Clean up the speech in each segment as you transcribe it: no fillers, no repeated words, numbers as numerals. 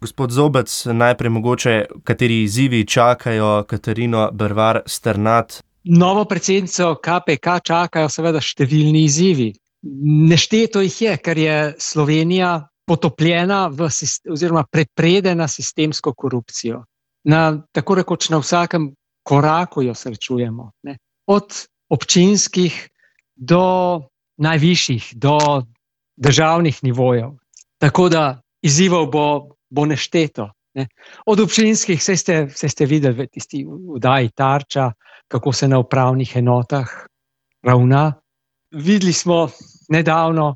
Gospod Zobec, najprej mogoče, kateri izzivi čakajo Katarino Bervar Sternad? Novo predsednico KPK čakajo seveda številni izzivi. Nešteto jih je, ker je Slovenija potopljena oziroma prepredena sistemsko korupcijo. Tako rekoč na vsakem koraku jo srečujemo, ne. Od občinskih do najvišjih, do državnih nivojev. Tako da izzivov bo nešteto, ne. Od občinskih, saj ste videli v tisti oddaji Tarča, kako se na upravnih enotah ravna. Videli smo nedavno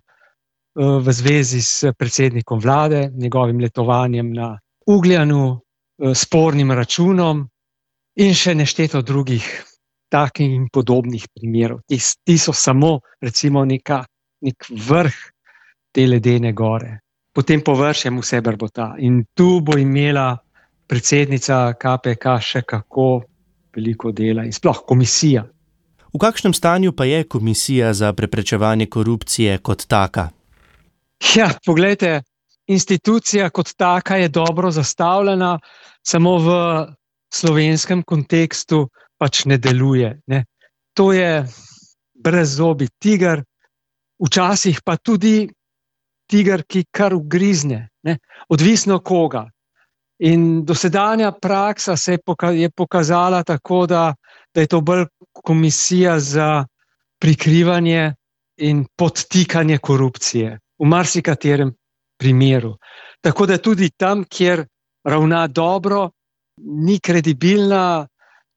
v zvezi s predsednikom vlade, njegovim letovanjem na Ugljanu, spornim računom in še nešteto drugih takih in podobnih primerov. Ti so samo recimo nek vrh te ledene gore. Potem površjem vse brbota. In tu bo imela predsednica KPK še kako veliko dela in sploh komisija. V kakšnem stanju pa je Komisija za preprečevanje korupcije kot taka? Ja, poglejte, institucija kot taka je dobro zastavljena, samo v slovenskem kontekstu pač ne deluje, ne. To je brezzobi tiger, včasih pa tudi tiger, ki kar ugrizne, ne. Odvisno koga. In dosedanja praksa se je pokazala tako, da je to bolj komisija za prikrivanje in podtikanje korupcije v marsikaterem primeru. Tako da tudi tam, kjer ravna dobro, ni kredibilna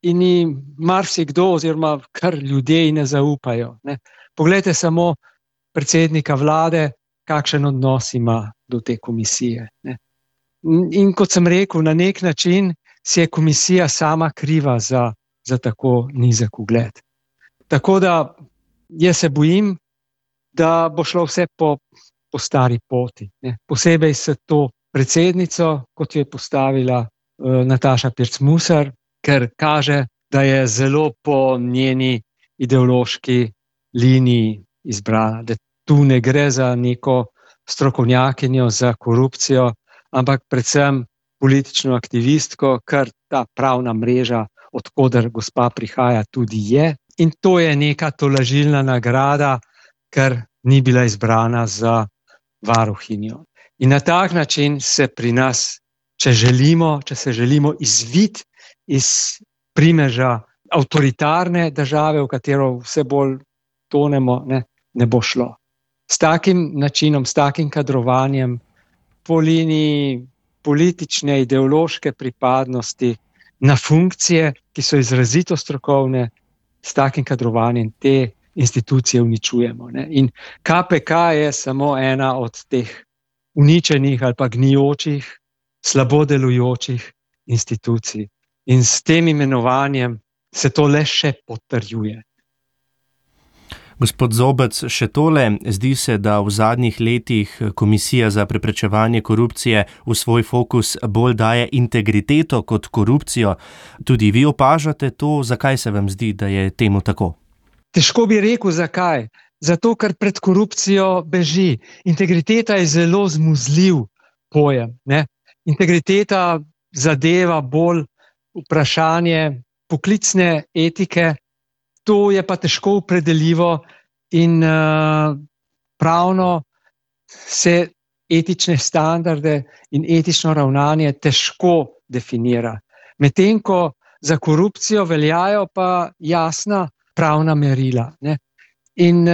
in ni marsikdo oziroma kar ljudje ne zaupajo, ne. Poglejte samo predsednika vlade, kakšen odnos ima do te komisije, ne. In kot sem rekel, na nek način si je komisija sama kriva za tako nizek ugled. Tako da jaz se bojim, da bo šlo vse po stari poti, ne. Posebej s to predsednico, kot jo je postavila Nataša Pirc Musar, ker kaže, da je zelo po njeni ideološki liniji izbrana, da tu ne gre za neko strokovnjakinjo za korupcijo, ampak predvsem politično aktivistko, kar ta pravna mreža, od koder gospa prihaja, tudi je. In to je neka tolažilna nagrada, ker ni bila izbrana za varuhinjo. In na tak način se pri nas, če se želimo izviti iz primeža avtoritarne države, v katero vse bolj tonemo, ne bo šlo. S takim načinom, s takim kadrovanjem, po liniji politične, ideološke pripadnosti na funkcije, ki so izrazito strokovne, s takim kadrovanjem te institucije uničujemo, ne. In KPK je samo ena od teh uničenih ali pa gnijočih, slabo delujočih institucij. In s tem imenovanjem se to le še potrjuje. Gospod Zobec, še tole, zdi se, da v zadnjih letih Komisija za preprečevanje korupcije v svoj fokus bolj daje integriteto kot korupcijo. Tudi vi opažate to, zakaj se vam zdi, da je temu tako? Težko bi rekel, zakaj. Zato, ker pred korupcijo beži. Integriteta je zelo zmuzljiv pojem, ne. Integriteta zadeva bolj vprašanje poklicne etike, to je pa težko opredeljivo in pravno se etične standarde in etično ravnanje težko definira. Medtem ko za korupcijo veljajo pa jasna pravna merila, ne. In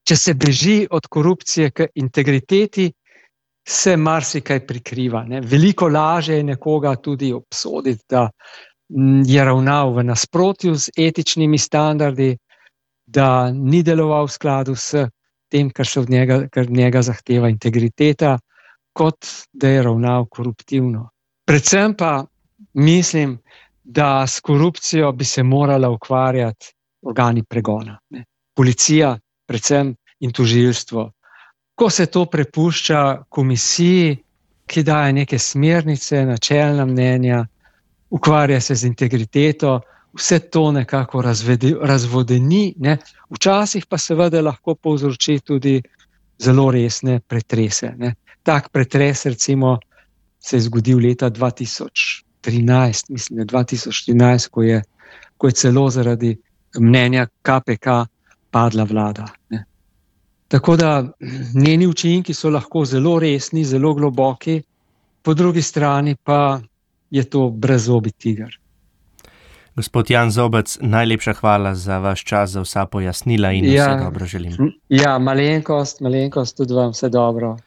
če se beži od korupcije k integriteti, se marsikaj prikriva, ne. Veliko lažje je nekoga tudi obsoditi, da je ravnal v nasprotju z etičnimi standardi, da ni deloval v skladu s tem, kar njega zahteva integriteta, kot da je ravnal koruptivno. Predvsem pa mislim, da s korupcijo bi se morala ukvarjati organi pregona, ne. Policija predvsem in tožilstvo. Ko se to prepušča komisiji, ki daje neke smernice, načelna mnenja, ukvarja se z integriteto, vse to nekako razvodeni, ne. Včasih pa seveda lahko povzroči tudi zelo resne pretrese, ne. Tak pretres recimo se je zgodil leta 2013, mislim, 2014, ko je celo zaradi mnenja KPK padla vlada. Ne. Tako da njeni učinki so lahko zelo resni, zelo globoki, po drugi strani pa je to brezzobi tiger. Gospod Jan Zobec, najlepša hvala za vaš čas, za vsa pojasnila in vse dobro želim. Ja, malenkost, tudi vam vse dobro.